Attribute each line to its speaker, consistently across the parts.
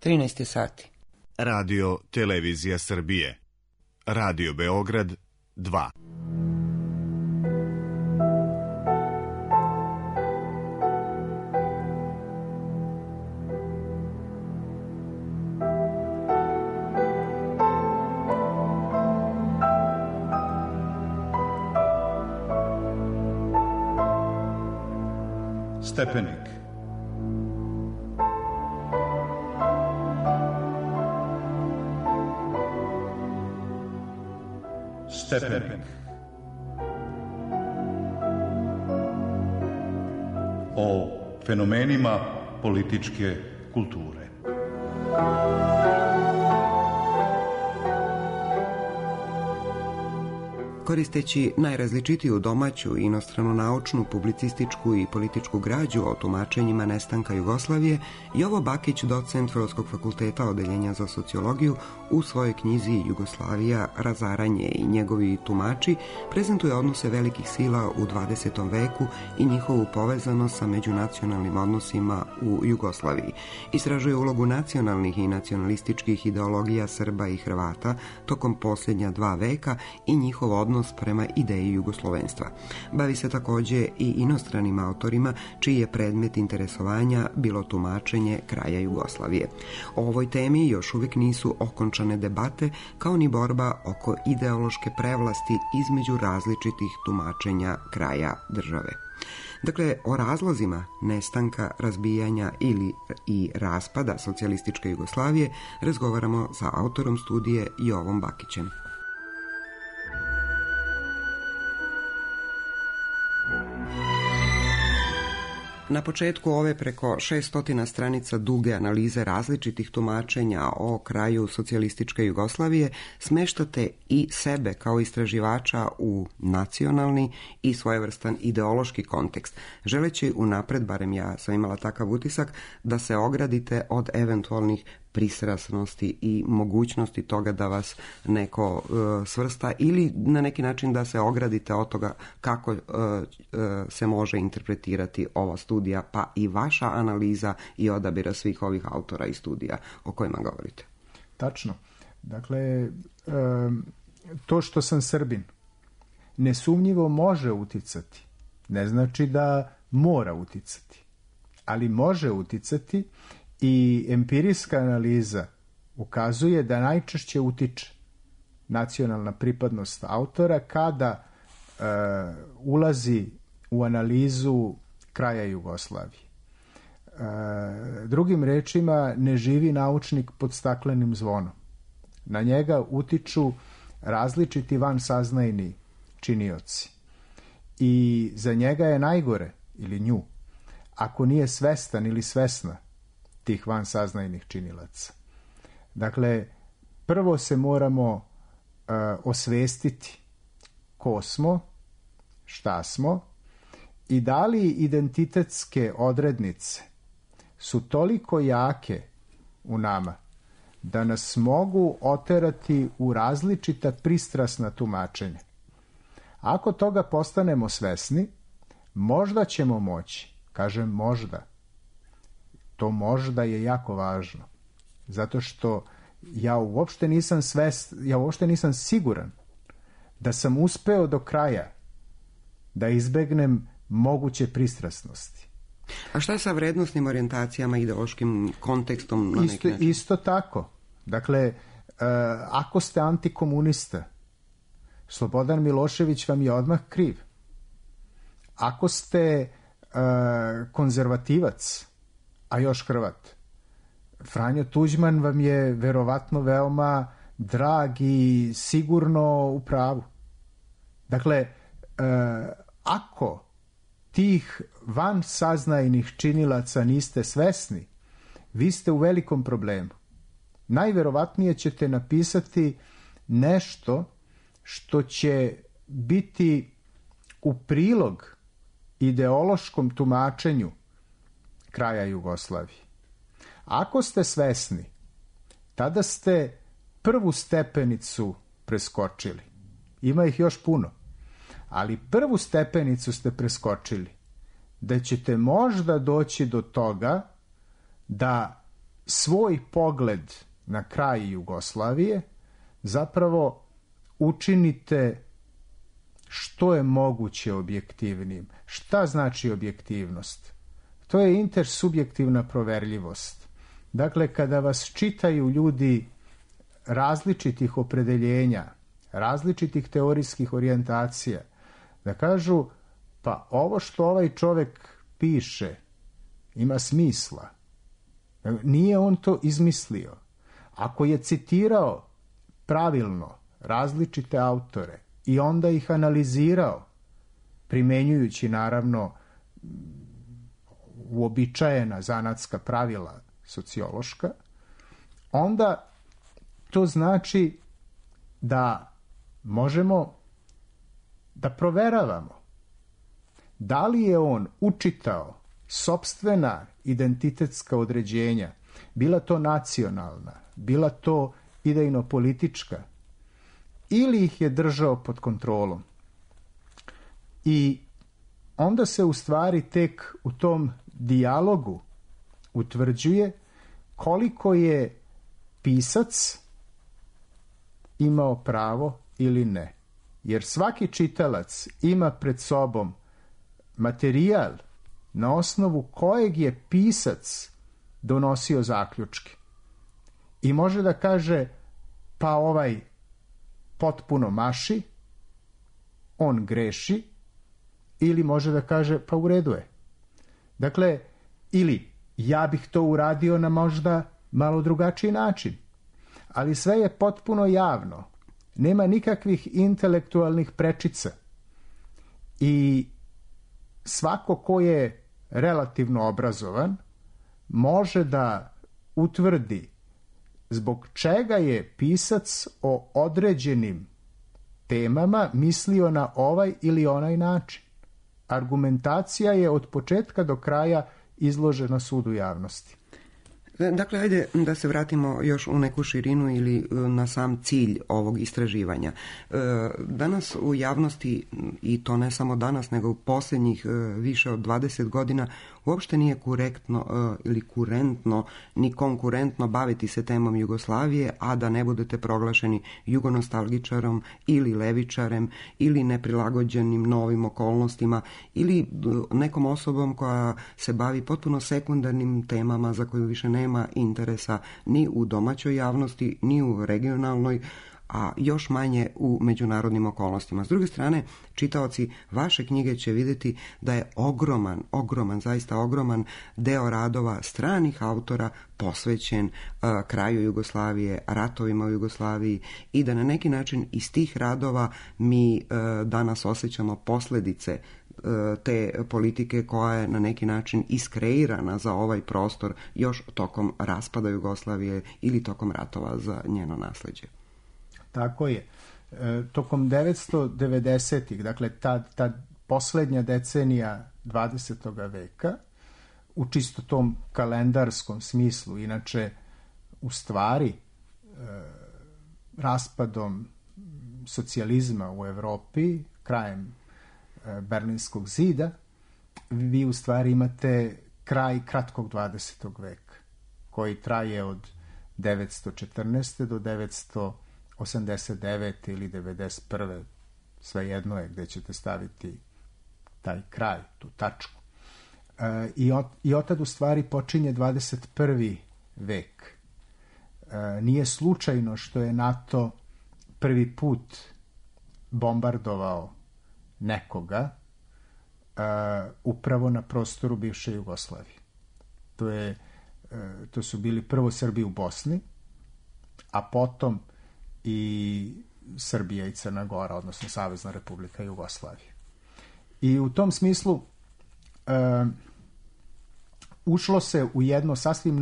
Speaker 1: 13 sati.
Speaker 2: Radio Televizija Srbije. Radio Beograd 2.
Speaker 3: Stepenik. Stepenik. O fenomenima političke kulture.
Speaker 1: Koristeći najrazličitiju domaću, inostranu naučnu, publicističku i političku građu o tumačenjima nestanka Jugoslavije, Jovo Bakić, docent Filozofskog fakulteta Odeljenja za sociologiju, u svojoj knjizi Jugoslavija, razaranje i njegovi tumači, prezentuje odnose velikih sila u 20. veku i njihovu povezanost sa međunacionalnim odnosima u Jugoslaviji. Istražuje ulogu nacionalnih i nacionalističkih ideologija Srba i Hrvata tokom posljednja 2 veka i njihov odnos prema ideji jugoslovenstva. Bavi se također i inostranim autorima čiji je predmet interesovanja bilo tumačenje kraja Jugoslavije. O ovoj temi još uvijek nisu okončane debate, kao ni borba oko ideološke prevlasti između različitih tumačenja kraja države. Dakle, o razlozima nestanka, razbijanja ili i raspada socijalističke Jugoslavije razgovaramo sa autorom studije Jovom Bakićem. Na početku ove preko 600 stranica duge analize različitih tumačenja o kraju socijalističke Jugoslavije smeštate i sebe kao istraživača u nacionalni i svojevrstan ideološki kontekst, želeći unapred, barem ja sam imala takav utisak, da se ogradite od eventualnih pristrasnosti i mogućnosti toga da vas neko svrsta ili na neki način da se ogradite od toga kako se može interpretirati ova studija, pa i vaša analiza i odabira svih ovih autora i studija o kojima govorite.
Speaker 4: Tačno. Dakle, to što sam Srbin nesumnjivo može uticati. Ne znači da mora uticati, ali može uticati. I empirijska analiza ukazuje da najčešće utiče nacionalna pripadnost autora kada ulazi u analizu kraja Jugoslavije. Drugim rečima, ne živi naučnik pod staklenim zvonom. Na njega utiču različiti vansaznajni činioci. I za njega je najgore, ili nju, ako nije svestan ili svesna tih vansaznajnih činilaca. Dakle, prvo se moramo osvestiti ko smo, šta smo i da li identitetske odrednice su toliko jake u nama da nas mogu oterati u različita pristrasna tumačenja. Ako toga postanemo svesni, možda ćemo moći, kažem možda, to možda je jako važno, zato što ja uopšte nisam siguran da sam uspeo do kraja da izbegnem moguće pristrasnosti.
Speaker 1: A šta je sa vrednostnim orijentacijama, ideološkim kontekstom na neki način?
Speaker 4: Isto tako. Dakle, ako ste antikomunista, Slobodan Milošević vam je odmah kriv. Ako ste konzervativac, a još Hrvat, Franjo Tuđman vam je verovatno veoma drag i sigurno u pravu. Dakle, ako tih vansaznajnih činilaca niste svesni, vi ste u velikom problemu. Najverovatnije ćete napisati nešto što će biti u prilog ideološkom tumačenju kraja Jugoslavije. Ako ste svesni, tada ste prvu stepenicu preskočili. Ima ih još puno. Ali prvu stepenicu ste preskočili. Da ćete možda doći do toga da svoj pogled na kraj Jugoslavije zapravo učinite što je moguće objektivnim. Šta znači objektivnost? To je intersubjektivna proverljivost. Dakle, kada vas čitaju ljudi različitih opredeljenja, različitih teorijskih orijentacija, da kažu, pa ovo što ovaj čovjek piše ima smisla. Nije on to izmislio. Ako je citirao pravilno različite autore i onda ih analizirao, primenjujući naravno uobičajena zanatska pravila sociološka, onda to znači da možemo da proveravamo da li je on učitao sopstvena identitetska određenja, bila to nacionalna, bila to idejno-politička, ili ih je držao pod kontrolom. I onda se u stvari tek u tom dijalogu utvrđuje koliko je pisac imao pravo ili ne. Jer svaki čitalac ima pred sobom materijal na osnovu kojeg je pisac donosio zaključke. I može da kaže, pa ovaj potpuno maši, on greši, ili može da kaže, pa u redu je. Dakle, ili ja bih to uradio na možda malo drugačiji način. Ali sve je potpuno javno. Nema nikakvih intelektualnih prečica. I svako ko je relativno obrazovan može da utvrdi zbog čega je pisac o određenim temama mislio na ovaj ili onaj način. Argumentacija je od početka do kraja izložena sudu javnosti.
Speaker 1: Dakle, ajde da se vratimo još u neku širinu ili na sam cilj ovog istraživanja. Danas u javnosti, i to ne samo danas, nego u posljednjih više od 20 godina, uopšte nije korektno ili kurentno, ni konkurentno baviti se temom Jugoslavije, a da ne budete proglašeni jugonostalgičarom ili levičarem ili neprilagođenim novim okolnostima ili nekom osobom koja se bavi potpuno sekundarnim temama za koju više nema interesa ni u domaćoj javnosti, ni u regionalnoj, a još manje u međunarodnim okolnostima. S druge strane, čitaoci vaše knjige će vidjeti da je ogroman, zaista ogroman deo radova stranih autora posvećen kraju Jugoslavije, ratovima u Jugoslaviji i da na neki način iz tih radova mi danas osjećamo posljedice te politike koja je na neki način iskreirana za ovaj prostor još tokom raspada Jugoslavije ili tokom ratova za njeno nasljeđe.
Speaker 4: Tako je. Tokom 1990-ih, dakle ta posljednja decenija 20. veka, u čisto tom kalendarskom smislu, inače u stvari raspadom socijalizma u Europi, krajem Berlinskog zida, vi u stvari imate kraj kratkog 20. veka, koji traje od 914. do 989. ili 91. svejedno je gdje ćete staviti taj kraj, tu tačku. I otad u stvari počinje 21. vek. Nije slučajno što je NATO prvi put bombardovao nekoga upravo na prostoru bivše Jugoslavije. To su bili prvo Srbi u Bosni, a potom i Srbija i Crna Gora, odnosno Savezna Republika Jugoslavije. I u tom smislu ušlo se u jedno sasvim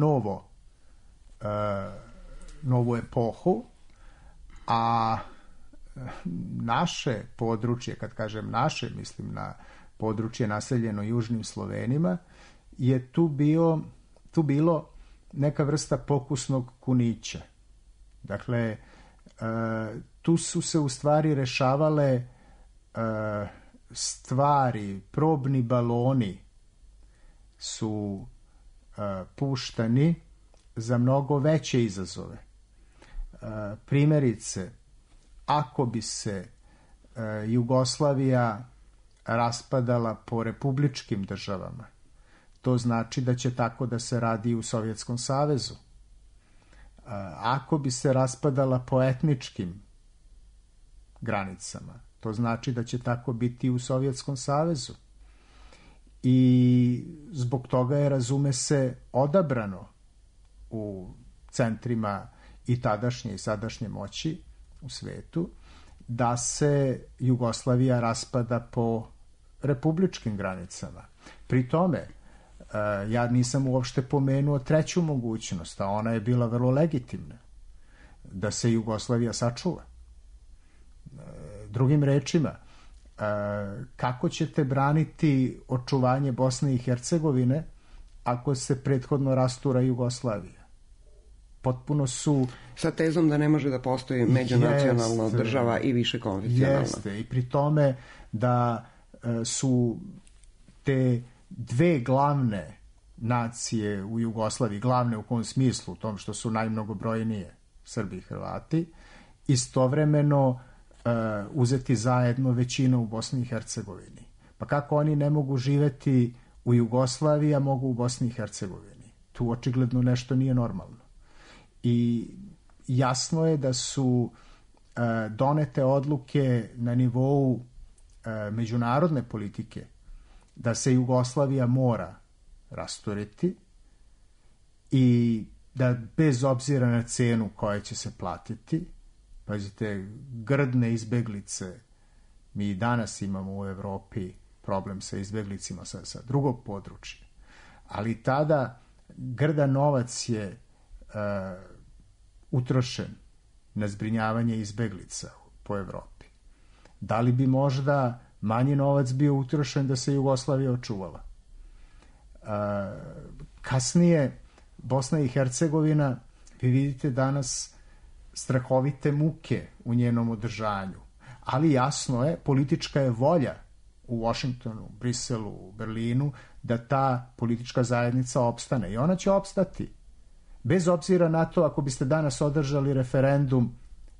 Speaker 4: novu epohu, a naše područje, kad kažem naše, mislim na područje naseljeno južnim Slovenima, je tu bilo neka vrsta pokusnog kunića. Dakle, tu su se u stvari rešavale stvari, probni baloni su puštani za mnogo veće izazove. Primjerice, ako bi se Jugoslavija raspadala po republičkim državama, to znači da će tako da se radi i u Sovjetskom savezu. Ako bi se raspadala po etničkim granicama, to znači da će tako biti i u Sovjetskom savezu. I zbog toga je, razume se, odabrano u centrima i tadašnje i sadašnje moći u svetu da se Jugoslavija raspada po republičkim granicama. Pri tome, ja nisam uopšte pomenuo treću mogućnost, a ona je bila vrlo legitimna, da se Jugoslavija sačuva. Drugim rečima, kako ćete braniti očuvanje Bosne i Hercegovine ako se prethodno rastura Jugoslavija? Potpuno su...
Speaker 1: Sa tezom da ne može da postoji međunacionalna država i više konvencionalna.
Speaker 4: Jeste, i pri tome da su te dve glavne nacije u Jugoslaviji, glavne u kom smislu, u tom što su najmnogobrojnije, Srbi i Hrvati, istovremeno uzeti zajedno većinu u Bosni i Hercegovini. Pa kako oni ne mogu živeti u Jugoslaviji, a mogu u Bosni i Hercegovini? Tu očigledno nešto nije normalno. I jasno je da su donete odluke na nivou međunarodne politike da se Jugoslavija mora rasturiti i da bez obzira na cenu koja će se platiti, pazite, grdne izbeglice, mi i danas imamo u Evropi problem sa izbeglicima sa drugog područja, ali tada grdan novac je utrošen na zbrinjavanje izbeglica po Evropi. Da li bi možda manji novac bio utrošen da se Jugoslavija očuvala? Kasnije, Bosna i Hercegovina, vi vidite danas strahovite muke u njenom održanju, ali jasno je, politička je volja u Washingtonu, Briselu, Berlinu, da ta politička zajednica opstane i ona će opstati. Bez obzira na to, ako biste danas održali referendum,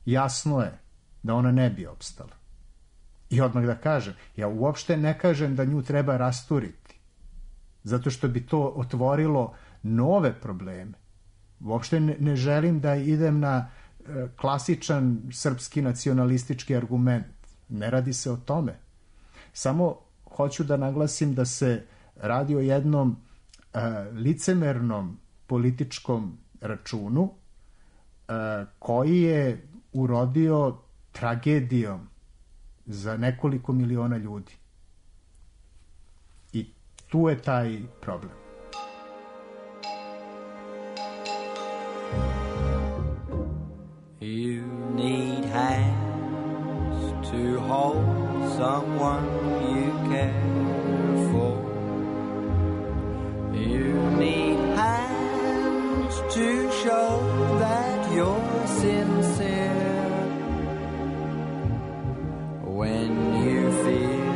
Speaker 4: jasno je da ona ne bi opstala. I odmah da kažem, ja uopšte ne kažem da nju treba rasturiti, zato što bi to otvorilo nove probleme. Uopšte ne želim da idem na klasičan srpski nacionalistički argument. Ne radi se o tome. Samo hoću da naglasim da se radi o jednom licemernom političkom računu koji je urodio tragedijom za nekoliko miliona ljudi. I tu je taj problem.
Speaker 5: You need hands to hold someone you care for. You need hands to show that you're sincere. When you feel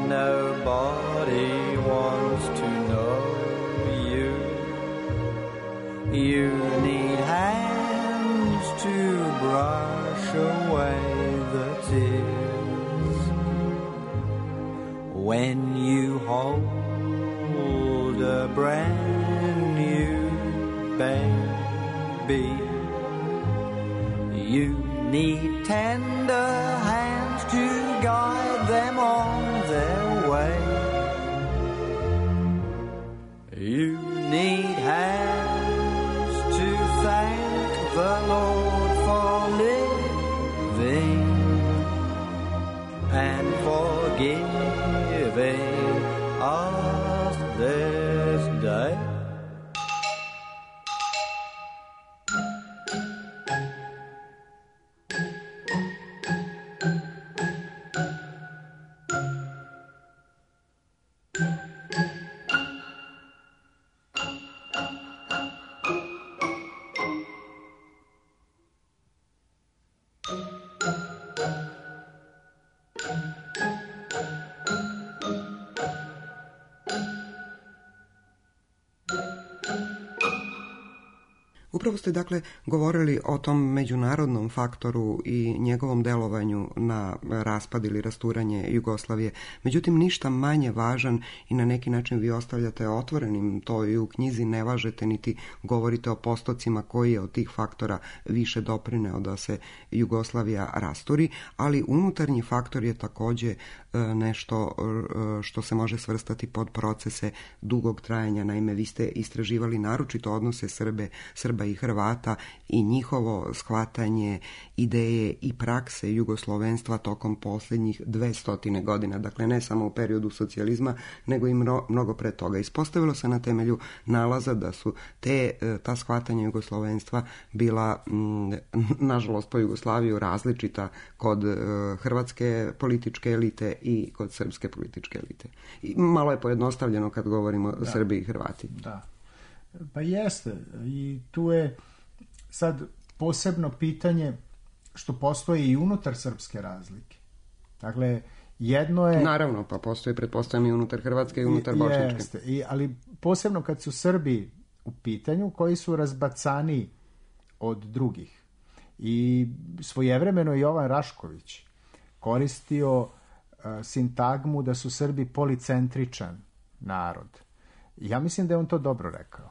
Speaker 5: nobody wants to know you, you need hands to brush away the tears. When you hold a brand new baby, you need tender hands to guide them on their way. You need hands to thank the Lord for living and for giving us this day.
Speaker 1: Upravo ste dakle govorili o tom međunarodnom faktoru i njegovom delovanju na raspad ili rasturanje Jugoslavije. Međutim, ništa manje važan i na neki način vi ostavljate otvorenim to i u knjizi, ne važete niti govorite o postocima koji je od tih faktora više doprineo da se Jugoslavija rasturi, ali unutarnji faktor je također nešto što se može svrstati pod procese dugog trajanja. Naime, vi ste istraživali naročito odnose Srba i Hrvata i njihovo shvatanje ideje i prakse jugoslovenstva tokom posljednjih 200 godina. Dakle, ne samo u periodu socijalizma, nego i mnogo pre toga. Ispostavilo se na temelju nalaza da su ta shvatanja jugoslovenstva bila, nažalost po Jugoslaviju, različita kod hrvatske političke elite i kod srpske političke elite. I malo je pojednostavljeno kad govorimo o Srbiji i Hrvati.
Speaker 4: Da. Pa jeste. I tu je sad posebno pitanje što postoji i unutar srpske razlike. Dakle, jedno je...
Speaker 1: Naravno, pa postoji, pretpostavljam, i unutar Hrvatske i unutar bošnjačke.
Speaker 4: Jeste. Ali posebno kad su Srbi u pitanju, koji su razbacani od drugih. I svojevremeno Jovan Rašković koristio sintagmu da su Srbi policentričan narod. Ja mislim da je on to dobro rekao.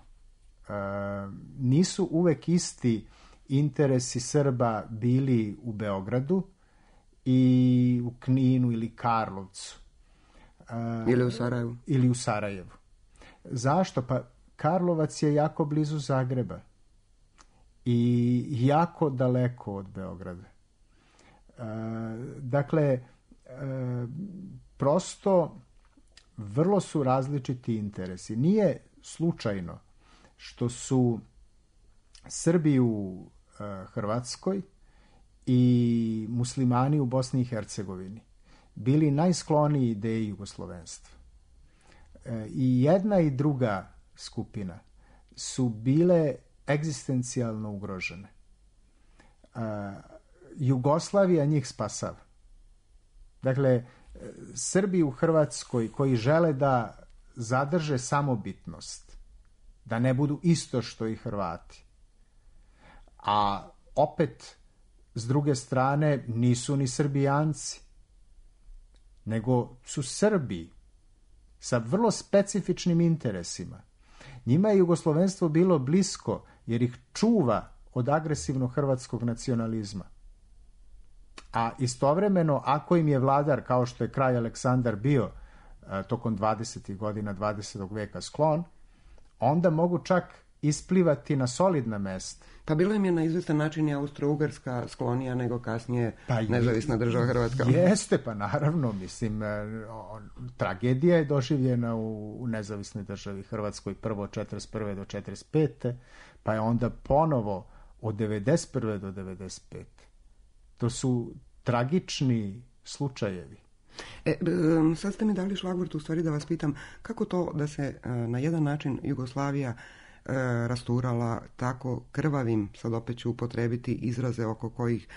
Speaker 4: Nisu uvek isti interesi Srba bili u Beogradu i u Kninu ili Karlovcu. Ili u Sarajevu. Zašto? Pa Karlovac je jako blizu Zagreba i jako daleko od Beograda. Dakle, prosto vrlo su različiti interesi. Nije slučajno što su Srbi u Hrvatskoj i muslimani u Bosni i Hercegovini bili najskloniji ideji jugoslovenstva. I jedna i druga skupina su bile egzistencijalno ugrožene. Jugoslavija njih spasava. Dakle, Srbi u Hrvatskoj koji žele da zadrže samobitnost, da ne budu isto što i Hrvati, a opet s druge strane nisu ni Srbijanci, nego su Srbi sa vrlo specifičnim interesima. Njima je jugoslovenstvo bilo blisko jer ih čuva od agresivnog hrvatskog nacionalizma. A istovremeno, ako im je vladar, kao što je kralj Aleksandar bio tokom 20. godina 20. veka sklon, onda mogu čak isplivati na solidna mesta.
Speaker 1: Pa bilo im je na izvestan način i Austro-Ugarska sklonija nego kasnije nezavisna država Hrvatska.
Speaker 4: Jeste, pa naravno, mislim, tragedija je doživljena u nezavisnoj državi Hrvatskoj prvo od 41. do 45. pa je onda ponovo od 91. do 95. To su tragični slučajevi.
Speaker 1: Sad ste mi dali šlagvort u stvari da vas pitam kako to da se na jedan način Jugoslavija rasturala tako krvavim, sad opet ću upotrebiti izraze oko kojih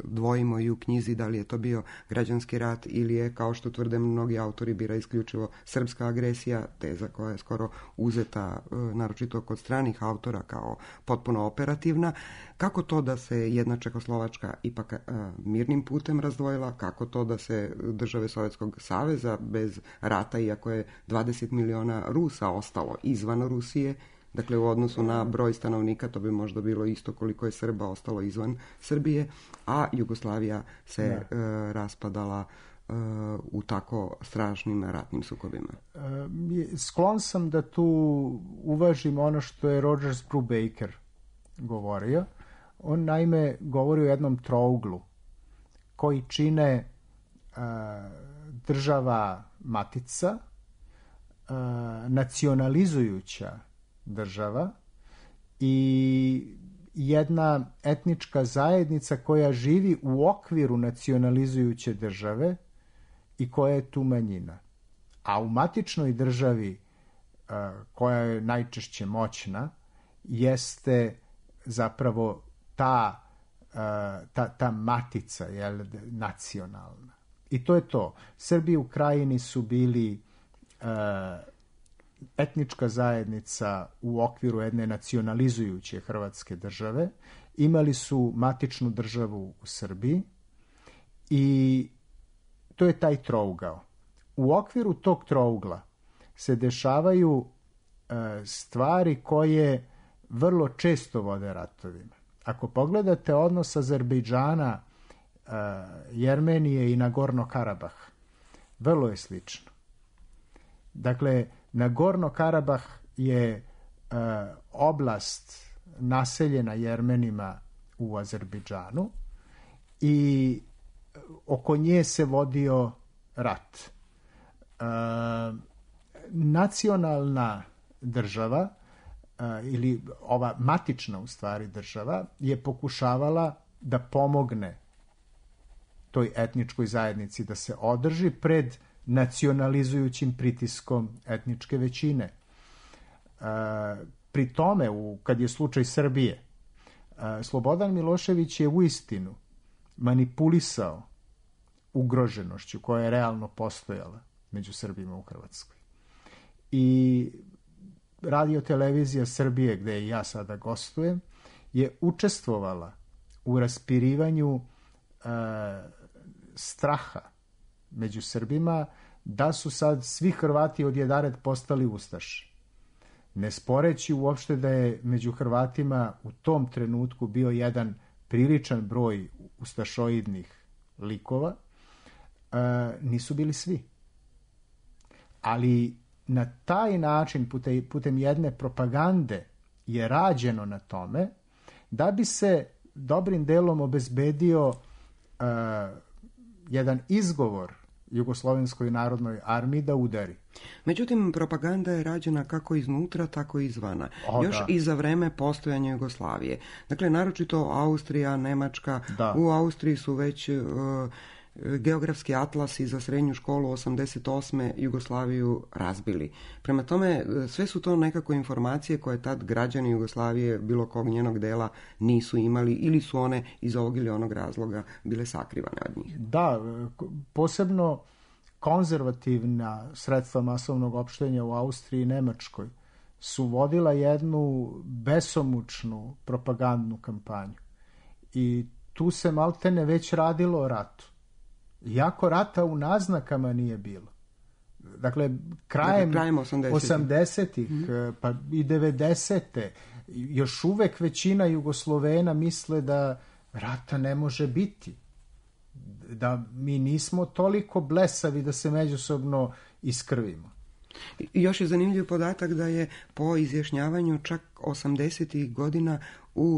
Speaker 1: dvojimo i u knjizi, da li je to bio građanski rat ili je, kao što tvrde mnogi autori, bila isključivo srpska agresija, teza koja je skoro uzeta naročito kod stranih autora kao potpuno operativna. Kako to da se jedna Čehoslovačka ipak mirnim putem razdvojila, kako to da se države Sovjetskog saveza bez rata, iako je 20 miliona Rusa ostalo izvan Rusije, dakle u odnosu na broj stanovnika to bi možda bilo isto koliko je Srba ostalo izvan Srbije, a Jugoslavija se raspadala u tako strašnim ratnim sukobima.
Speaker 4: Sklon sam da tu uvažim ono što je Rogers Brubaker govorio. On naime govori o jednom trouglu koji čine država matica, nacionalizujuća država i jedna etnička zajednica koja živi u okviru nacionalizujuće države i koja je tu manjina. A u matičnoj državi koja je najčešće moćna jeste zapravo ta matica, jel, nacionalna. I to je to. Srbi u Krajini su bili etnička zajednica u okviru jedne nacionalizujuće Hrvatske države, imali su matičnu državu u Srbiji i to je taj trougao. U okviru tog trougla se dešavaju stvari koje vrlo često vode ratovima. Ako pogledate odnos Azerbejdžana, Jermenije i Nagorno Karabah, vrlo je slično. Dakle, Nagorno Karabah je oblast naseljena Jermenima u Azerbejdžanu i oko nje se vodio rat. Nacionalna država ili ova matična u stvari država je pokušavala da pomogne toj etničkoj zajednici da se održi pred nacionalizujućim pritiskom etničke većine. Pri tome, kad je slučaj Srbije, Slobodan Milošević je uistinu manipulisao ugroženošću koja je realno postojala među Srbima u Hrvatskoj. I Radio-televizija Srbije, gde i ja sada gostujem, je učestvovala u raspirivanju straha među Srbima da su sad svi Hrvati odjedared postali ustaši. Ne sporeći uopšte da je među Hrvatima u tom trenutku bio jedan priličan broj ustašoidnih likova, nisu bili svi. Ali na taj način, putem jedne propagande, je rađeno na tome da bi se dobrim delom obezbedio jedan izgovor Jugoslovenskoj narodnoj armiji da udari.
Speaker 1: Međutim, propaganda je rađena kako iznutra, tako i izvana. Još i za vreme postojanja Jugoslavije. Dakle, naročito Austrija, Nemačka. Da. U Austriji su već geografski atlasi za srednju školu 88. Jugoslaviju razbili. Prema tome, sve su to nekako informacije koje tad građani Jugoslavije bilo kog njenog dela nisu imali ili su one iz ovog ili onog razloga bile sakrivane od njih.
Speaker 4: Da, posebno konzervativna sredstva masovnog opštenja u Austriji i Nemačkoj su vodila jednu besomučnu propagandnu kampanju. I tu se maltene već radilo o ratu. Iako rata u naznakama nije bilo. Dakle, krajem 80-ih, pa i 90-te, još uvek većina Jugoslovena misle da rata ne može biti. Da mi nismo toliko blesavi da se međusobno iskrvimo.
Speaker 1: Još je zanimljiv podatak da je po izjašnjavanju čak 80-ih godina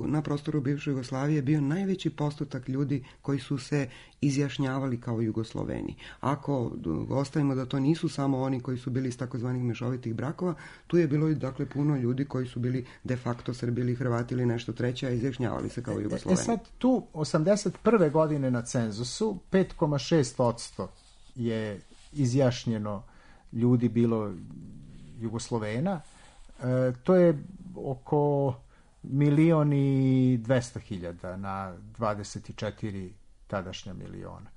Speaker 1: na prostoru bivše Jugoslavije bio najveći postotak ljudi koji su se izjašnjavali kao Jugosloveni. Ako ostavimo da to nisu samo oni koji su bili iz takozvanih mešovitih brakova, tu je bilo dakle puno ljudi koji su bili de facto Srbi ili Hrvati ili nešto treće, a izjašnjavali se kao Jugosloveni.
Speaker 4: Sad tu 81. godine na cenzusu 5,6% je izjašnjeno ljudi bilo Jugoslovena. To je oko 1.200.000 na 24 tadašnja miliona.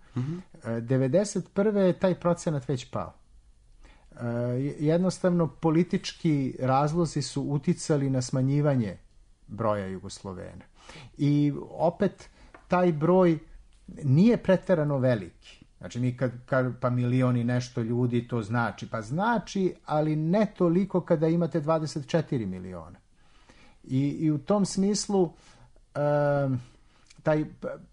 Speaker 4: 91. je taj procenat već pao. Jednostavno politički razlozi su uticali na smanjivanje broja Jugoslovena. I opet taj broj nije preterano veliki. Znači mi kad pa milion i nešto ljudi to znači, pa znači, ali ne toliko kada imate 24 miliona. I u tom smislu taj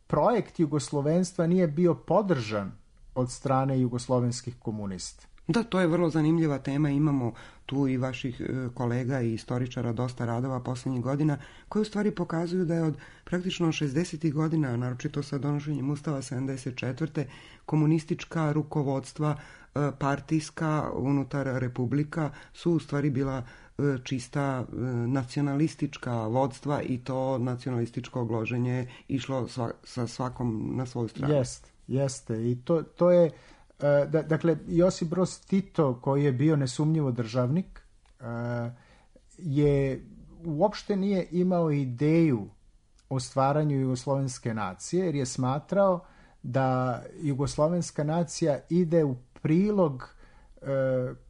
Speaker 4: projekt jugoslovenstva nije bio podržan od strane jugoslovenskih komunista.
Speaker 1: Da, to je vrlo zanimljiva tema. Imamo tu i vaših kolega i istoričara dosta radova posljednjih godina koji u stvari pokazuju da je od praktično 60. godina, naročito sa donošenjem Ustava 74. komunistička rukovodstva partijska unutar republika su u stvari bila čista nacionalistička vodstva i to nacionalističko ogloženje je išlo sa svakom na svoju stranu.
Speaker 4: Jeste. I to je dakle, Josip Broz Tito, koji je bio nesumnjivo državnik, uopšte nije imao ideju o stvaranju jugoslovenske nacije, jer je smatrao da jugoslovenska nacija ide u prilog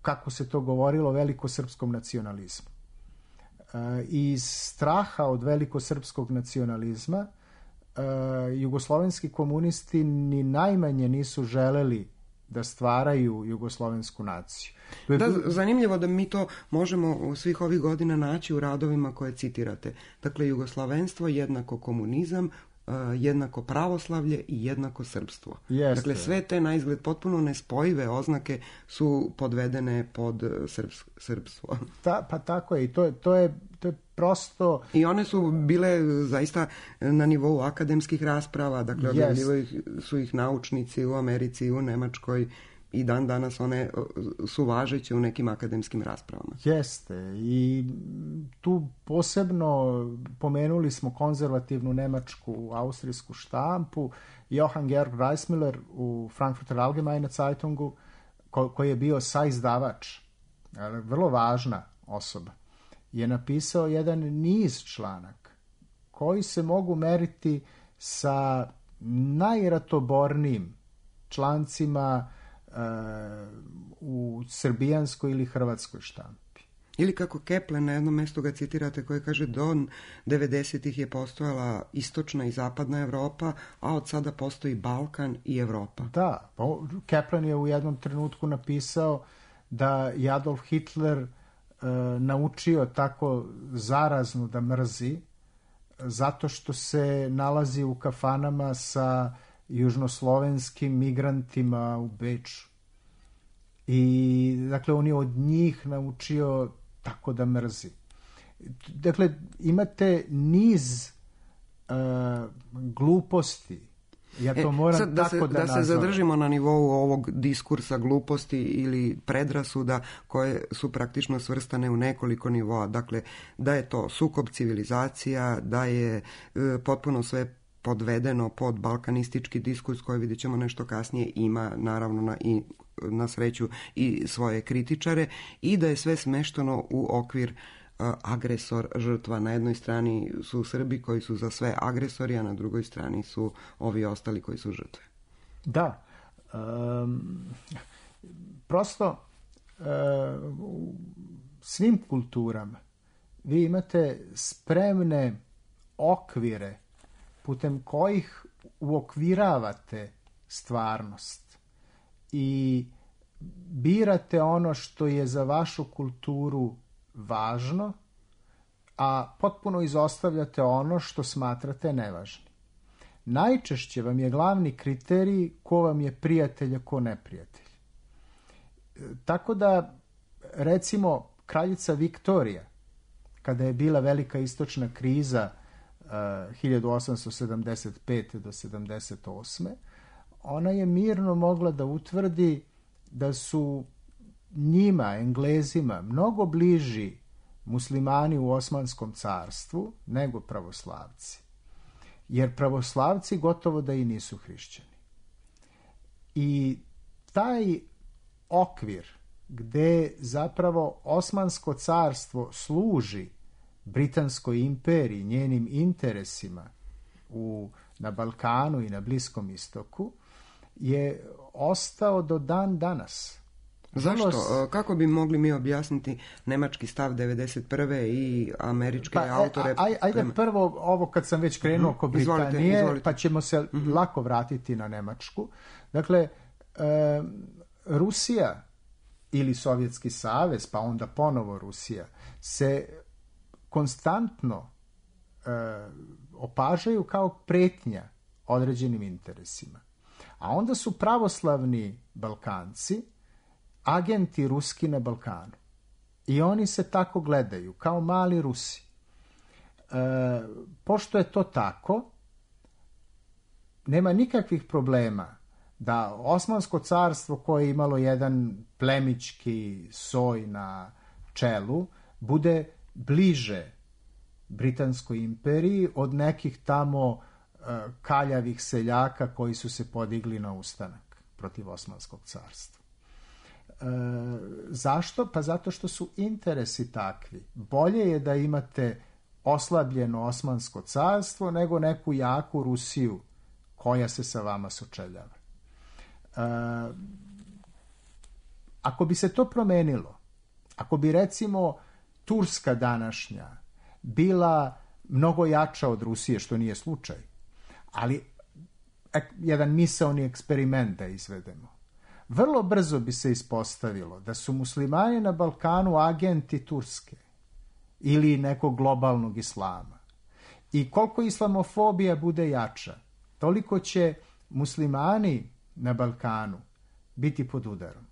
Speaker 4: kako se to govorilo, velikosrpskom nacionalizmu. Iz straha od velikosrpskog nacionalizma jugoslovenski komunisti ni najmanje nisu želeli da stvaraju jugoslovensku naciju.
Speaker 1: Da, zanimljivo da mi to možemo svih ovih godina naći u radovima koje citirate. Dakle, jugoslovenstvo jednako komunizam, jednako pravoslavlje i jednako srpstvo.
Speaker 4: Jeste.
Speaker 1: Dakle, sve te na izgled potpuno nespojive oznake su podvedene pod srpstvo.
Speaker 4: Pa tako je. I to je prosto...
Speaker 1: I one su bile zaista na nivou akademskih rasprava, dakle, objavljivali su ih naučnici u Americi i u Nemačkoj, i dan danas one su važeće u nekim akademskim raspravama.
Speaker 4: Jeste. I tu posebno pomenuli smo konzervativnu nemačku, austrijsku štampu. Johann Georg Reismüller u Frankfurter Allgemeine Zeitungu, koji je bio saizdavač, vrlo važna osoba, je napisao jedan niz članaka koji se mogu meriti sa najratobornijim člancima u srbijanskoj ili hrvatskoj štampi.
Speaker 1: Ili kako Kepler na jednom mjestu ga citirate, koji kaže do 90-ih je postojala istočna i zapadna Evropa, a od sada postoji Balkan i Evropa.
Speaker 4: Da, Kepler je u jednom trenutku napisao da je Adolf Hitler naučio tako zarazno da mrzi zato što se nalazi u kafanama sa južnoslovenskim migrantima u Beču. I dakle on je od njih naučio tako da mrzi. Dakle, imate niz gluposti. Ja to moram
Speaker 1: sad,
Speaker 4: tako da
Speaker 1: se zadržimo na nivou ovog diskursa gluposti ili predrasuda koje su praktično svrstane u nekoliko nivoa. Dakle, da je to sukob civilizacija, da je potpuno sve podvedeno pod balkanistički diskurs koji, vidjet ćemo nešto kasnije, ima naravno na sreću i svoje kritičare, i da je sve smešteno u okvir agresor, žrtva. Na jednoj strani su Srbi koji su za sve agresori, a na drugoj strani su ovi ostali koji su žrtve.
Speaker 4: Da. Prosto u svim kulturama vi imate spremne okvire putem kojih uokviravate stvarnost i birate ono što je za vašu kulturu važno, a potpuno izostavljate ono što smatrate nevažnim. Najčešće vam je glavni kriterij ko vam je prijatelj, a ko neprijatelj. Tako da, recimo, kraljica Viktorija, kada je bila velika istočna kriza 1875. do 78. ona je mirno mogla da utvrdi da su njima, Englezima, mnogo bliži muslimani u Osmanskom carstvu nego pravoslavci. Jer pravoslavci gotovo da i nisu hrišćani. I taj okvir gde zapravo Osmansko carstvo služi Britanskoj imperiji, njenim interesima na Balkanu i na Bliskom istoku, je ostao do dan danas.
Speaker 1: Zašto? Kako bi mogli mi objasniti nemački stav 91. i američke autore?
Speaker 4: Ajde prvo ovo kad sam već krenuo oko Britanije, izvolite. Pa ćemo se lako vratiti na Nemačku. Dakle, Rusija ili Sovjetski savez, pa onda ponovo Rusija, se konstantno opažaju kao pretnja određenim interesima. A onda su pravoslavni Balkanci agenti ruski na Balkanu. I oni se tako gledaju, kao mali Rusi. Pošto je to tako, nema nikakvih problema da Osmansko carstvo, koje je imalo jedan plemićki soj na čelu, bude bliže Britanskoj imperiji od nekih tamo kaljavih seljaka koji su se podigli na ustanak protiv Osmanskog carstva. Zašto? Pa zato što su interesi takvi. Bolje je da imate oslabljeno Osmansko carstvo nego neku jaku Rusiju koja se sa vama sučeljava. ako bi se to promenilo, ako bi recimo Turska današnja bila mnogo jača od Rusije, što nije slučaj, ali jedan misaoni eksperiment da izvedemo, vrlo brzo bi se ispostavilo da su muslimani na Balkanu agenti Turske ili nekog globalnog islama. I koliko islamofobija bude jača, toliko će muslimani na Balkanu biti pod udarom.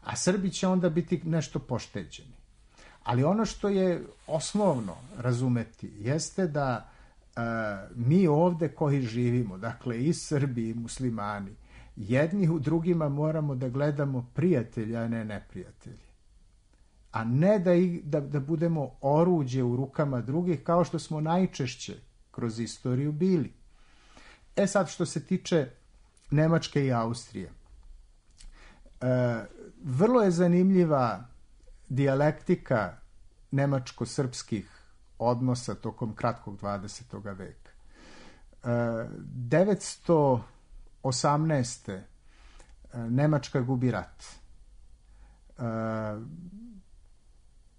Speaker 4: A Srbi će onda biti nešto pošteđeni. Ali ono što je osnovno razumeti jeste da mi ovde koji živimo, dakle i Srbi i muslimani, jedni u drugima moramo da gledamo prijatelja, a ne neprijatelji. A ne da budemo oruđe u rukama drugih, kao što smo najčešće kroz istoriju bili. Sad, što se tiče Nemačke i Austrije, vrlo je zanimljiva dijalektika nemačko-srpskih odnosa tokom kratkog 20. veka. 918. Nemačka gubi rat.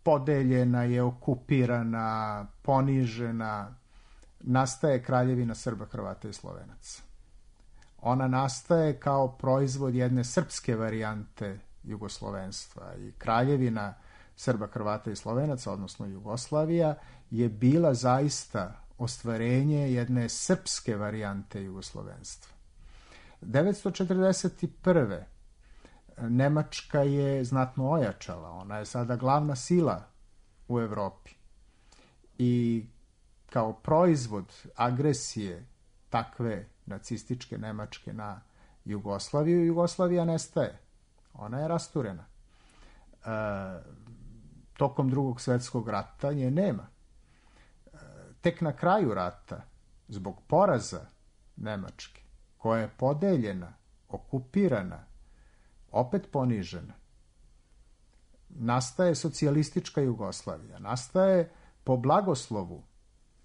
Speaker 4: Podeljena je, okupirana, ponižena. Nastaje Kraljevina Srba, Hrvata i Slovenaca. Ona nastaje kao proizvod jedne srpske varijante jugoslovenstva i Kraljevina Srba, Hrvata i Slovenaca, odnosno Jugoslavija, je bila zaista ostvarenje jedne srpske varijante jugoslovenstva. 941. Nemačka je znatno ojačala, ona je sada glavna sila u Evropi i kao proizvod agresije takve nacističke Nemačke na Jugoslaviju, Jugoslavija nestaje. Ona je rasturena. Tokom Drugog svjetskog rata nje nema. Tek na kraju rata, zbog poraza Nemačke, koja je podeljena, okupirana, opet ponižena, nastaje socijalistička Jugoslavija. Nastaje po blagoslovu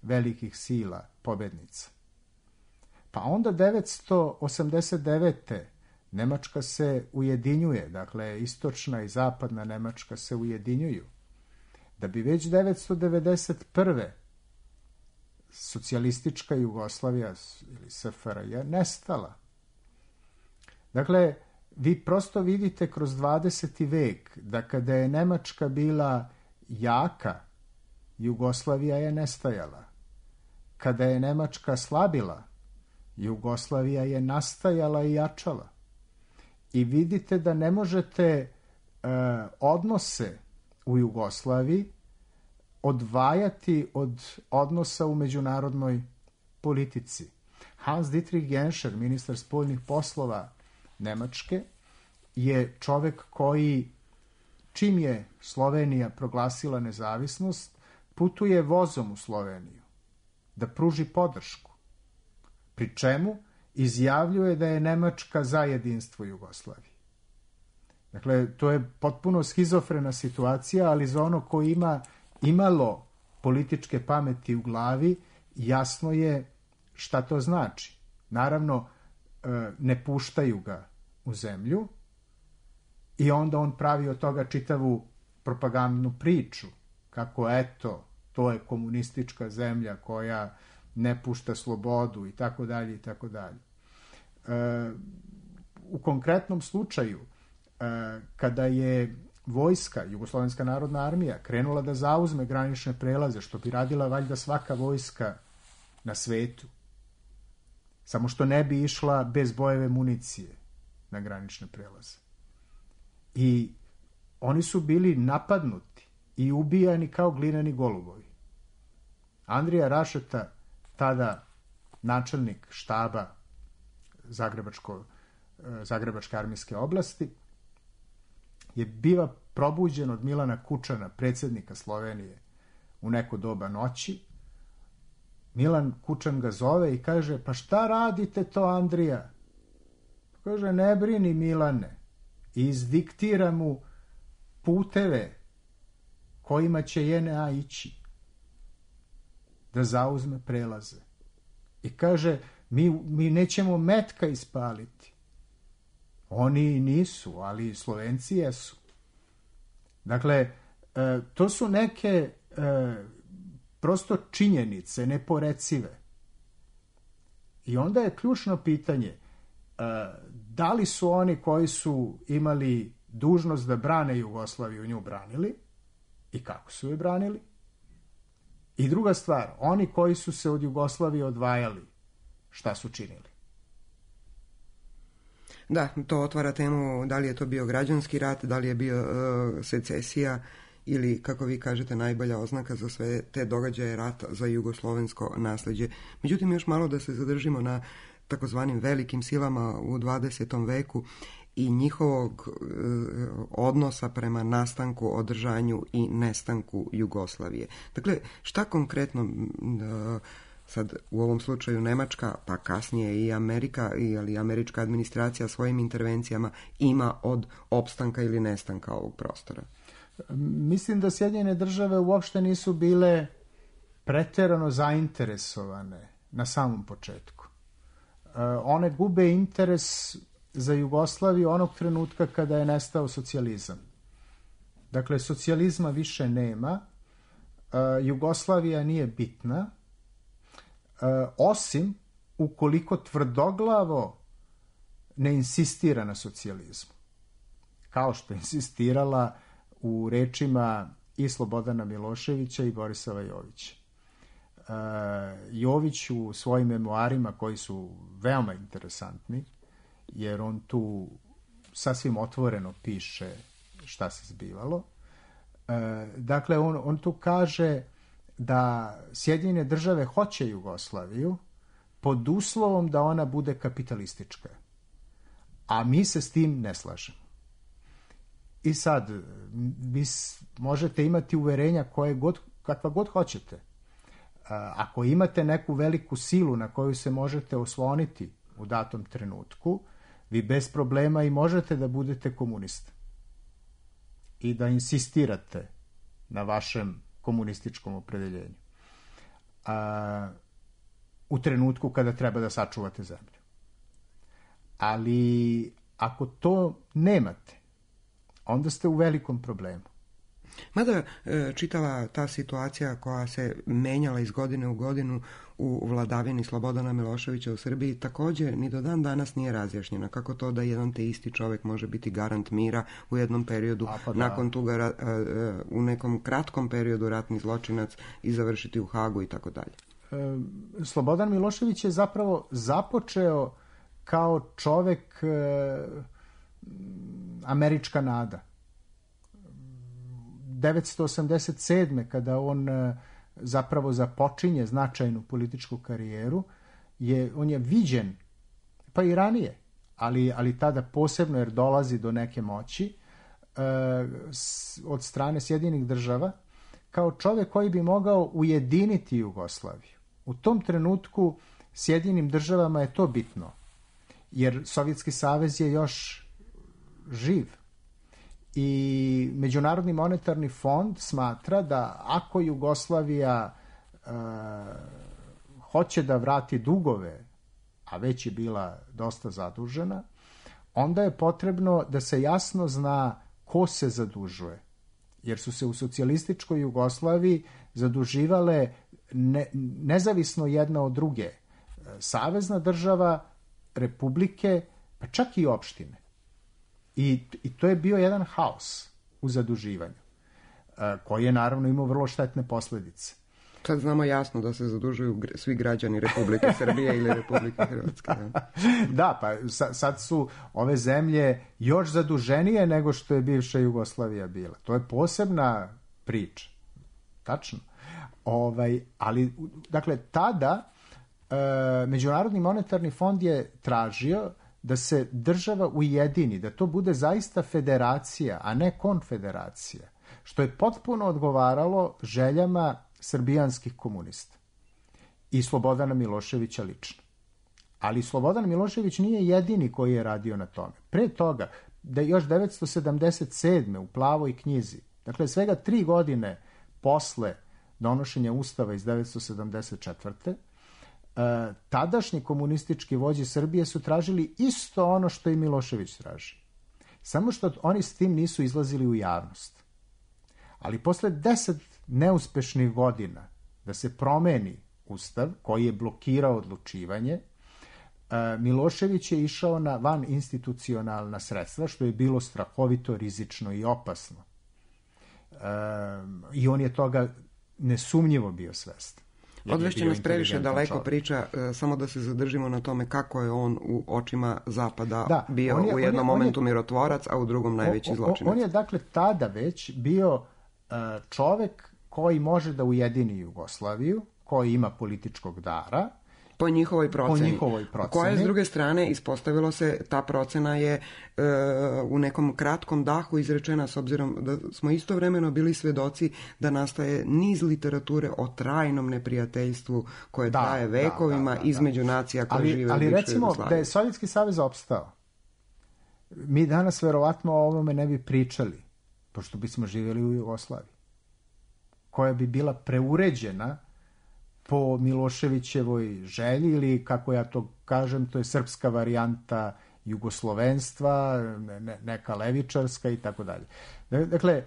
Speaker 4: velikih sila pobednica. Pa onda 989. Nemačka se ujedinjuje, dakle istočna i zapadna Nemačka se ujedinjuju, da bi već 991. socijalistička Jugoslavija ili SFRJ nestala. Dakle, vi prosto vidite kroz 20. vek da kada je Nemačka bila jaka, Jugoslavija je nestajala. Kada je Nemačka slabila, Jugoslavija je nastajala i jačala. I vidite da ne možete odnose u Jugoslaviji odvajati od odnosa u međunarodnoj politici. Hans Dietrich Genscher, ministar spoljnih poslova Nemačke, je čovek koji, čim je Slovenija proglasila nezavisnost, putuje vozom u Sloveniju da pruži podršku. Pri čemu izjavljuje da je Nemačka za jedinstvo Jugoslavije. Dakle, to je potpuno schizofrena situacija, ali za ono ko ima imalo političke pameti u glavi, jasno je šta to znači. Naravno, ne puštaju ga u zemlju i onda on pravi od toga čitavu propagandnu priču, kako eto, to je komunistička zemlja koja ne pušta slobodu i tako dalje i tako dalje. U konkretnom slučaju, kada je vojska, Jugoslovenska narodna armija, krenula da zauzme granične prelaze, što bi radila valjda svaka vojska na svetu, samo što ne bi išla bez bojeve municije na granične prelaze. I oni su bili napadnuti i ubijani kao glineni golubovi. Andrija Rašeta, tada načelnik štaba Zagrebačke armijske oblasti, je biva probuđen od Milana Kučana, predsjednika Slovenije, u neko doba noći. Milan Kučan ga zove i kaže, pa šta radite to, Andrija? Kaže, ne brini, Milane. I izdiktira mu puteve kojima će JNA ići da zauzme prelaze. I kaže, mi nećemo metka ispaliti. Oni nisu, ali Slovenci jesu. Dakle, to su neke prosto činjenice, neporecive. I onda je ključno pitanje, da li su oni koji su imali dužnost da brane Jugoslaviju nju branili i kako su je branili? I druga stvar, oni koji su se od Jugoslavije odvajali, šta su činili?
Speaker 1: Da, to otvara temu da li je to bio građanski rat, da li je bio secesija ili, kako vi kažete, najbolja oznaka za sve te događaje rata za jugoslovensko nasleđe. Međutim, još malo da se zadržimo na takozvanim velikim silama u 20. veku i njihovog odnosa prema nastanku, održanju i nestanku Jugoslavije. Dakle, šta konkretno sad u ovom slučaju Nemačka, pa kasnije i Amerika, ali američka administracija svojim intervencijama ima od opstanka ili nestanka ovog prostora?
Speaker 4: Mislim da Sjedinjene države uopšte nisu bile pretjerano zainteresovane na samom početku. One gube interes za Jugoslaviju onog trenutka kada je nestao socijalizam. Dakle, socijalizma više nema, Jugoslavija nije bitna, osim ukoliko tvrdoglavo ne insistira na socijalizmu. Kao što je insistirala u rečima i Slobodana Miloševića i Borisova Jovića. Jović u svojim memoarima, koji su veoma interesantni, jer on tu sasvim otvoreno piše šta se zbivalo. Dakle, on tu kaže da Sjedinjene države hoće Jugoslaviju pod uslovom da ona bude kapitalistička. A mi se s tim ne slažemo. I sad, vi možete imati uverenja kakva god hoćete. Ako imate neku veliku silu na koju se možete osloniti u datom trenutku, vi bez problema i možete da budete komunista. I da insistirate na vašem komunističkom opredeljenju. U trenutku kada treba da sačuvate zemlju. Ali ako to nemate, onda ste u velikom problemu.
Speaker 1: Mada čitava ta situacija koja se menjala iz godine u godinu u vladavini Slobodana Miloševića u Srbiji također ni do dan danas nije razjašnjena. Kako to da jedan te isti čovjek može biti garant mira u jednom periodu, nakon toga u nekom kratkom periodu ratni zločinac i završiti u Hagu i tako dalje.
Speaker 4: Slobodan Milošević je zapravo započeo kao čovjek američka nada. 1987. kada on zapravo započinje značajnu političku karijeru, on je viđen, pa i ranije, ali tada posebno jer dolazi do neke moći od strane Sjedinjenih država, kao čovjek koji bi mogao ujediniti Jugoslaviju. U tom trenutku Sjedinjenim državama je to bitno, jer Sovjetski savez je još živ. I Međunarodni monetarni fond smatra da ako Jugoslavija hoće da vrati dugove, a već je bila dosta zadužena, onda je potrebno da se jasno zna ko se zadužuje. Jer su se u socijalističkoj Jugoslaviji zaduživale nezavisno jedna od druge. Savezna država, republike, pa čak i opštine. I to je bio jedan haos u zaduživanju, koji je naravno imao vrlo štetne posljedice.
Speaker 1: Sad znamo jasno da se zadužuju svi građani Republike Srbije ili Republike Hrvatske.
Speaker 4: Da, pa sad su ove zemlje još zaduženije nego što je bivša Jugoslavija bila. To je posebna priča. Tačno. Ali, dakle, tada Međunarodni monetarni fond je tražio da se država ujedini, da to bude zaista federacija, a ne konfederacija, što je potpuno odgovaralo željama srbijanskih komunista i Slobodana Miloševića lično. Ali Slobodan Milošević nije jedini koji je radio na tome. Pre toga, da je još 1977. u Plavoj knjizi, dakle svega 3 godine posle donošenja Ustava iz 1974. tadašnji komunistički vođe Srbije su tražili isto ono što i Milošević traži. Samo što oni s tim nisu izlazili u javnost. Ali posle 10 neuspešnih godina da se promeni ustav koji je blokirao odlučivanje, Milošević je išao na van institucionalna sredstva, što je bilo strahovito rizično i opasno. I on je toga nesumnjivo bio svestan.
Speaker 1: Odvešće nas previše daleko priča, samo da se zadržimo na tome kako je on u očima Zapada bio u jednom momentu mirotvorac, a u drugom najveći zločinac.
Speaker 4: On je dakle tada već bio čovek koji može da ujedini Jugoslaviju, koji ima političkog dara,
Speaker 1: po njihovoj proceni. Koja, s druge strane, ispostavilo se, ta procena je u nekom kratkom dahu izrečena, s obzirom da smo istovremeno bili svedoci da nastaje niz literature o trajnom neprijateljstvu koje traje vekovima između nacija koje žive u bivšoj Jugoslaviji. Ali recimo da je Sovjetski savez opstao, mi danas verovatno o ovome ne bi pričali, pošto bismo živjeli u Jugoslaviji, koja bi bila preuređena po Miloševićevoj želji, ili kako ja to kažem, to je srpska varijanta jugoslovenstva, neka levičarska i tako dalje. Dakle,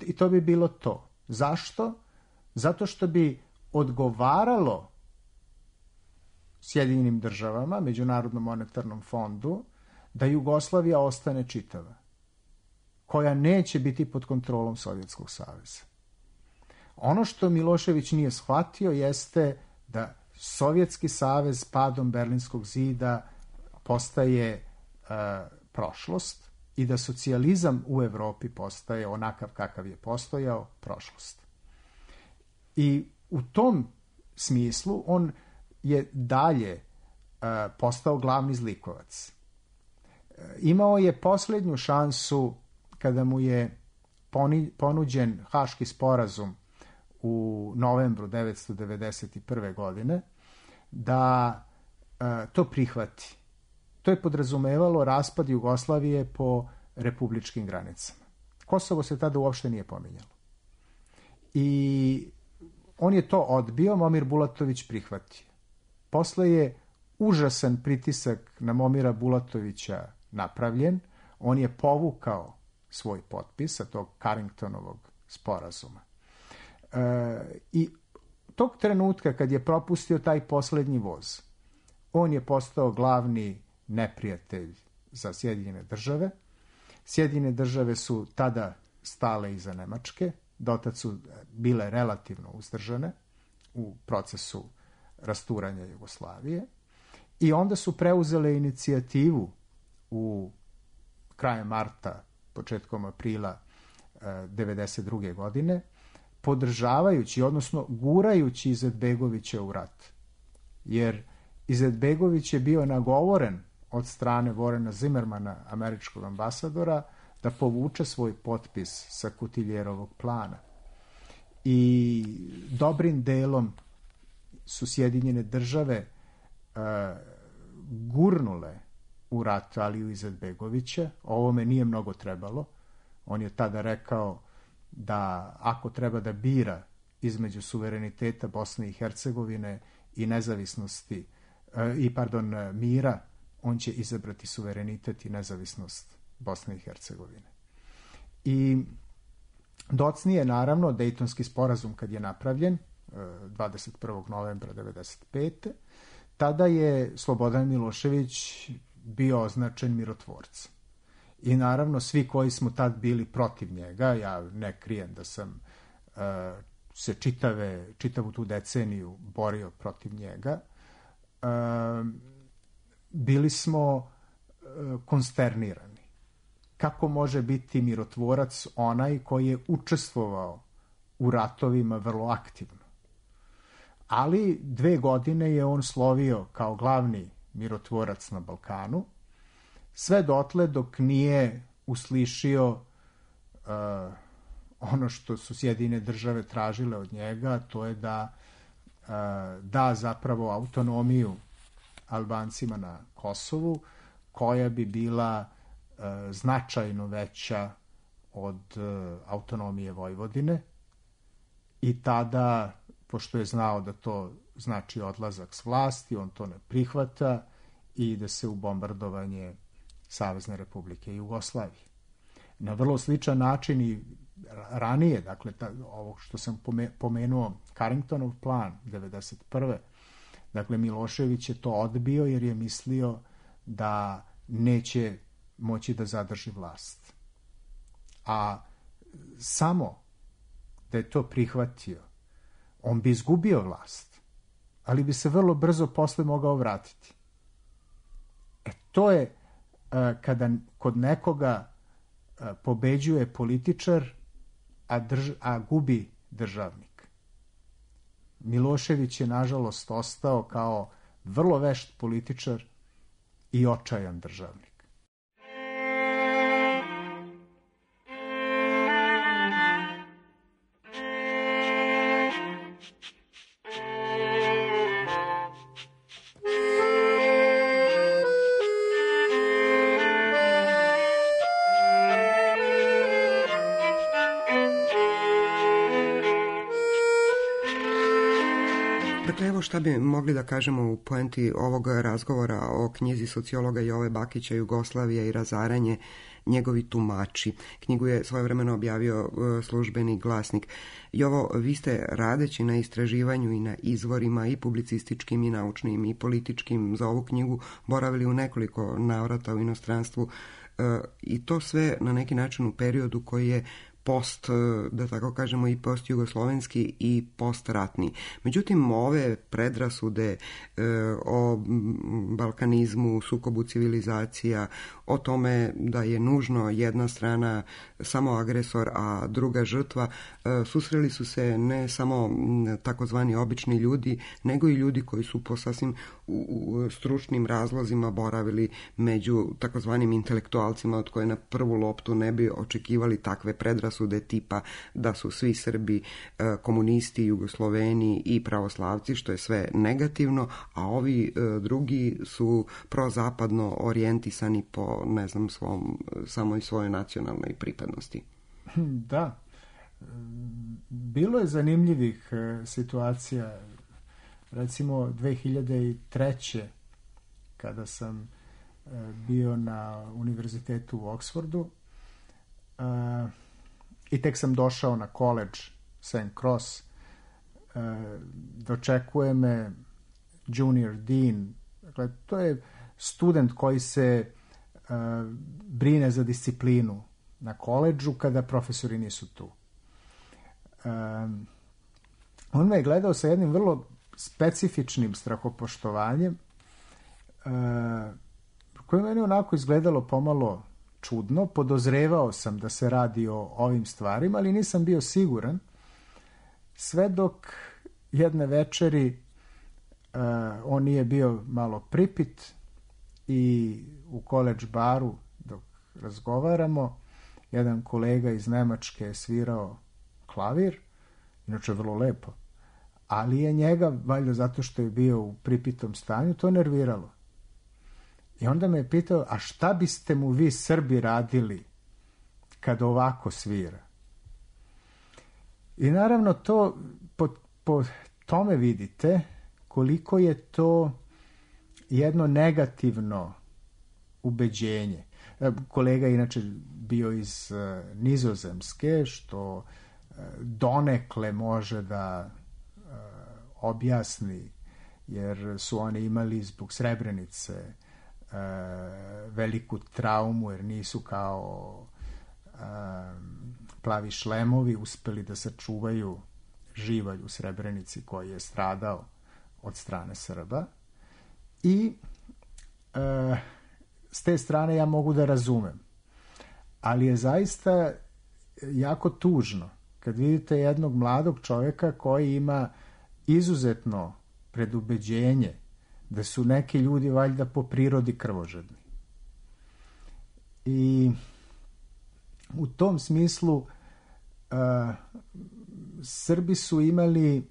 Speaker 1: i to bi bilo to. Zašto? Zato što bi odgovaralo Sjedinjenim državama, Međunarodnom monetarnom fondu, da Jugoslavija ostane čitava, koja neće biti pod kontrolom Sovjetskog saveza. Ono što Milošević nije shvatio jeste da Sovjetski savez padom Berlinskog zida postaje prošlost i da socijalizam u Evropi postaje onakav kakav je postojao prošlost. I u tom smislu on je dalje postao glavni zlikovac. Imao je posljednju šansu kada mu je ponuđen Haški sporazum u novembru 1991. godine, da to prihvati. To je podrazumevalo raspad Jugoslavije po republičkim granicama. Kosovo se tada uopšte nije pominjalo. I on je to odbio, Momir Bulatović prihvatio. Posle je užasan pritisak na Momira Bulatovića napravljen, on je povukao svoj potpis sa tog Carringtonovog sporazuma. I tog trenutka kad je propustio taj poslednji voz, on je postao glavni neprijatelj za Sjedinjene države. Sjedinjene države su tada stale iza Nemačke, dotad su bile relativno uzdržane u procesu rasturanja Jugoslavije, i onda su preuzele inicijativu u krajem marta, početkom aprila 1992. godine, podržavajući, odnosno gurajući Izetbegovića u rat. Jer Izetbegović je bio nagovoren od strane Vorena Zimmermana, američkog ambasadora, da povuče svoj potpis sa Kutiljerovog plana. I dobrim delom su Sjedinjene države gurnule u rat Aliju Izetbegovića. Ovome nije mnogo trebalo. On je tada rekao da ako treba da bira između suvereniteta Bosne i Hercegovine i nezavisnosti mira, on će izabrati suverenitet i nezavisnost Bosne i Hercegovine. I docnije, naravno, Dejtonski sporazum kad je napravljen 21. novembra 1995. tada je Slobodan Milošević bio označen mirotvorcem. I naravno svi koji smo tad bili protiv njega, ja ne krijem da sam se čitavu tu deceniju borio protiv njega, bili smo konsternirani. Kako može biti mirotvorac onaj koji je učestvovao u ratovima vrlo aktivno? Ali 2 godine je on slovio kao glavni mirotvorac na Balkanu, sve dotle dok nije uslišio ono što su Sjedinjene države tražile od njega, to je da zapravo autonomiju Albancima na Kosovu, koja bi bila značajno veća od autonomije Vojvodine, i tada
Speaker 4: pošto je znao da to znači odlazak s vlasti, on to ne prihvata i ide se u bombardovanje Savezne Republike Jugoslavije. Na vrlo sličan način i ranije, dakle, ovo što sam pomenuo, Carringtonov plan 1991. Dakle, Milošević je to odbio jer je mislio da neće moći da zadrži vlast. A samo da je to prihvatio, on bi izgubio vlast, ali bi se vrlo brzo posle mogao vratiti. To je kada kod nekoga pobeđuje političar, a gubi državnik. Milošević je, nažalost, ostao kao vrlo vešt političar i očajan državnik.
Speaker 1: Dakle, evo šta bi mogli da kažemo u poenti ovog razgovora o knjizi sociologa Jove Bakića Jugoslavija i razaranje, njegovi tumači. Knjigu je svojevremeno objavio Službeni glasnik. Jovo, vi ste radeći na istraživanju i na izvorima i publicističkim i naučnim i političkim za ovu knjigu boravili u nekoliko navrata u inostranstvu i to sve na neki način u periodu koji je post, da tako kažemo, i postjugoslovenski i postratni. Međutim, ove predrasude o balkanizmu, sukobu civilizacija, o tome da je nužno jedna strana samo agresor, a druga žrtva, susreli su se ne samo takozvani obični ljudi, nego i ljudi koji su po sasvim stručnim razlozima boravili među takozvanim intelektualcima od koje na prvu loptu ne bi očekivali takve predrasude tipa da su svi Srbi komunisti, Jugosloveni i pravoslavci, što je sve negativno, a ovi drugi su prozapadno orijentisani po, ne znam, samoj svojoj nacionalnoj pripadnosti.
Speaker 4: Da. Bilo je zanimljivih situacija. Recimo 2003. kada sam bio na univerzitetu u Oksfordu i tek sam došao na college St. Cross, dočekuje me junior dean. Dakle, to je student koji se brine za disciplinu na koledžu kada profesori nisu tu. On me je gledao sa jednim vrlo specifičnim strahopoštovanjem koje meni onako izgledalo pomalo čudno. Podozrevao sam da se radi o ovim stvarima, ali nisam bio siguran, sve dok jedne večeri on nije bio malo pripit i u college baru dok razgovaramo, jedan kolega iz Nemačke je svirao klavir, inače vrlo lepo, ali je njega, valjda zato što je bio u pripitom stanju, to nerviralo. I onda me je pitao, a šta biste mu vi Srbi radili kad ovako svira? I naravno to, po tome vidite koliko je to jedno negativno ubeđenje. Kolega inače bio iz Nizozemske, što donekle može da objasni, jer su oni imali zbog Srebrenice veliku traumu, jer nisu kao plavi šlemovi uspeli da sačuvaju živalj u Srebrenici koji je stradao od strane Srba. I s te strane ja mogu da razumem. Ali je zaista jako tužno kad vidite jednog mladog čovjeka koji ima izuzetno predubeđenje da su neki ljudi valjda po prirodi krvožedni. I u tom smislu Srbi su imali,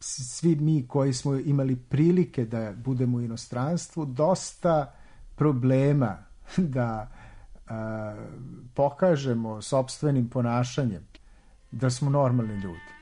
Speaker 4: svi mi koji smo imali prilike da budemo u inostranstvu, dosta problema da pokažemo sopstvenim ponašanjem da smo normalni ljudi.